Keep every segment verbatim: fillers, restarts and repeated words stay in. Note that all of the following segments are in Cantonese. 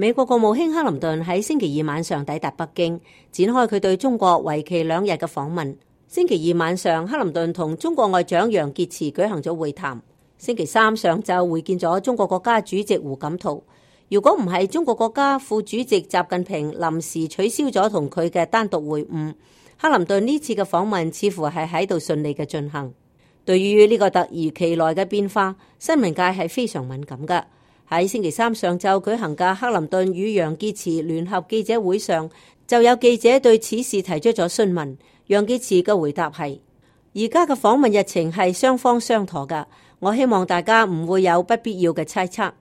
美國國務卿克林頓喺星期二晚上抵達北京，展開佢對中國為期兩日嘅訪問。星期二晚上，克林頓同中國外長楊潔篪舉行咗會談。星期三上晝會見咗中國國家主席胡錦濤。如果唔係中國國家副主席習近平臨時取消咗同佢嘅單獨會晤，克林頓呢次嘅訪問似乎係喺度順利嘅進行。對於呢個突如其來嘅變化，新聞界係非常敏感嘅。喺星期三上晝舉行嘅克林頓與楊潔篪聯合記者會上，就有記者對此事提出咗詢問。楊潔篪嘅回答係：而家嘅訪問日程係雙方商妥㗎，我希望大家唔會有不必要嘅猜測。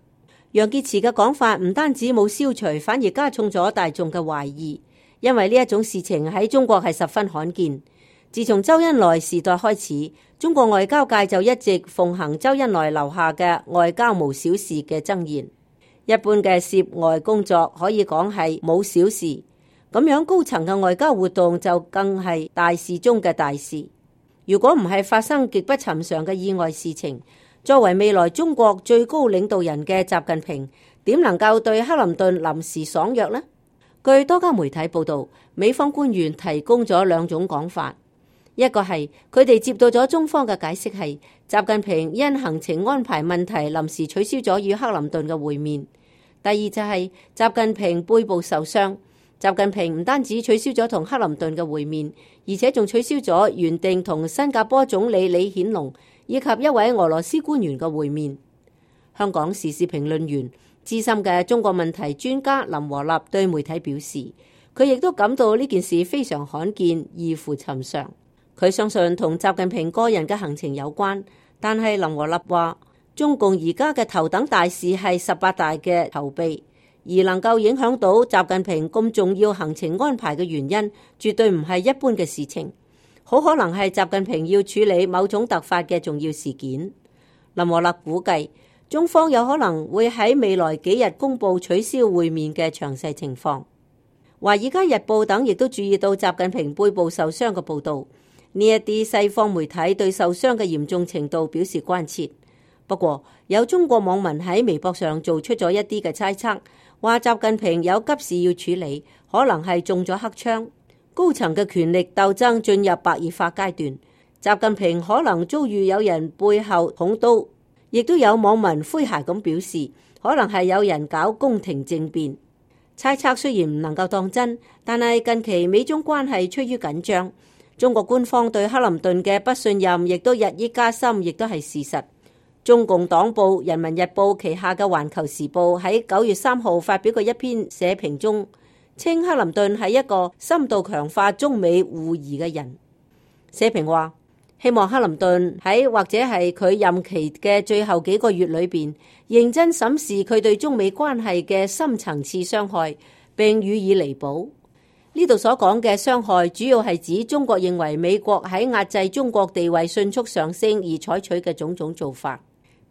楊潔篪嘅講法唔單止冇消除，反而加重咗大眾嘅懷疑，因為呢一種事情喺中國係十分罕見。自從周恩來時代開始，中國外交界就一直奉行周恩來留下嘅外交無小事嘅箴言。一般嘅涉外工作可以講係冇小事，咁樣高層嘅外交活動就更係大事中嘅大事。如果唔係發生極不尋常嘅意外事情，作為未來中國最高領導人嘅習近平，點能夠對克林頓臨時爽約呢？據多家媒體報道，美方官員提供咗兩種講法。一個係佢哋接到咗中方嘅解釋，係習近平因行程安排問題臨時取消咗與克林頓嘅會面。第二就係習近平背部受傷，習近平唔單止取消咗同克林頓嘅會面，而且仲取消咗原定同新加坡總理李顯龍以及一位俄羅斯官員嘅會面。香港時事評論員、資深嘅中國問題專家林和立對媒體表示，佢亦都感到呢件事非常罕見，異乎尋常。佢相信同習近平個人嘅行程有關，但係林和立話，中共而家嘅頭等大事係十八大嘅籌備，而能夠影響到習近平咁重要行程安排嘅原因，絕對唔係一般嘅事情，好可能係習近平要處理某種突發嘅重要事件。林和立估計，中方有可能會喺未來幾日公布取消會面嘅詳細情況。華爾街日報等亦都注意到習近平背部受傷嘅報導。呢一啲西方媒體對受傷嘅嚴重程度表示關切。不過，有中國網民喺微博上做出咗一啲嘅猜測，話習近平有急事要處理，可能係中咗黑槍，高層嘅權力鬥爭進入白熱化階段，習近平可能遭遇有人背後捅刀。亦都有網民詼諧咁表示，可能係有人搞宮廷政變。猜測雖然唔能夠當真，但係近期美中關係趨於緊張，中國官方對克林頓嘅不信任亦都日益加深，亦都係事實。中共黨報《人民日報》旗下嘅《環球時報》喺九月三號發表過一篇社評中，稱克林頓係一個深度強化中美互疑嘅人。社評話，希望克林頓喺或者係佢任期嘅最後幾個月裏邊，認真審視佢對中美關係嘅深層次傷害，並予以彌補。呢度所講嘅傷害，主要係指中國認為美國喺壓制中國地位迅速上升而採取嘅種種做法，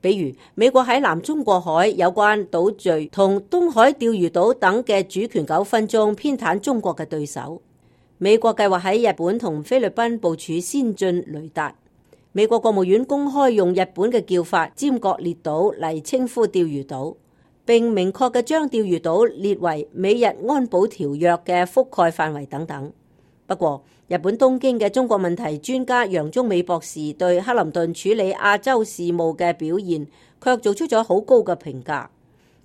比如美國喺南中國海有關島嶼同東海釣魚島等嘅主權糾紛中偏袒中國嘅對手。美國計劃喺日本同菲律賓部署先進雷達。美國國務院公開用日本嘅叫法尖閣列島嚟稱呼釣魚島，並明確嘅將釣魚島列為美日安保條約嘅覆蓋範圍等等。不過，日本東京嘅中國問題專家楊忠美博士對克林頓處理亞洲事務嘅表現，卻做出咗好高嘅評價。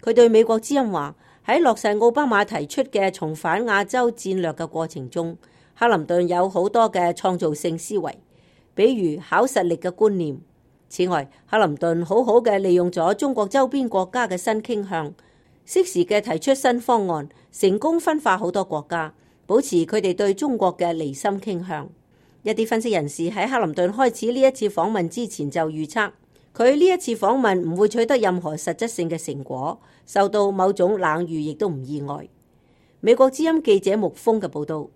佢對美國之音話，喺落實奧巴馬提出嘅重返亞洲戰略嘅過程中，克林頓有好多嘅創造性思維，比如考實力嘅觀念。此外，克林頓好好嘅利用咗中國周邊國家嘅新傾向，適時嘅提出新方案，成功分化好多國家，保持佢哋對中國嘅離心傾向。一啲分析人士喺克林頓開始呢一次訪問之前就預測，佢呢一次訪問唔會取得任何實質性嘅成果，受到某種冷遇亦都唔意外。美國之音記者穆峰嘅報道。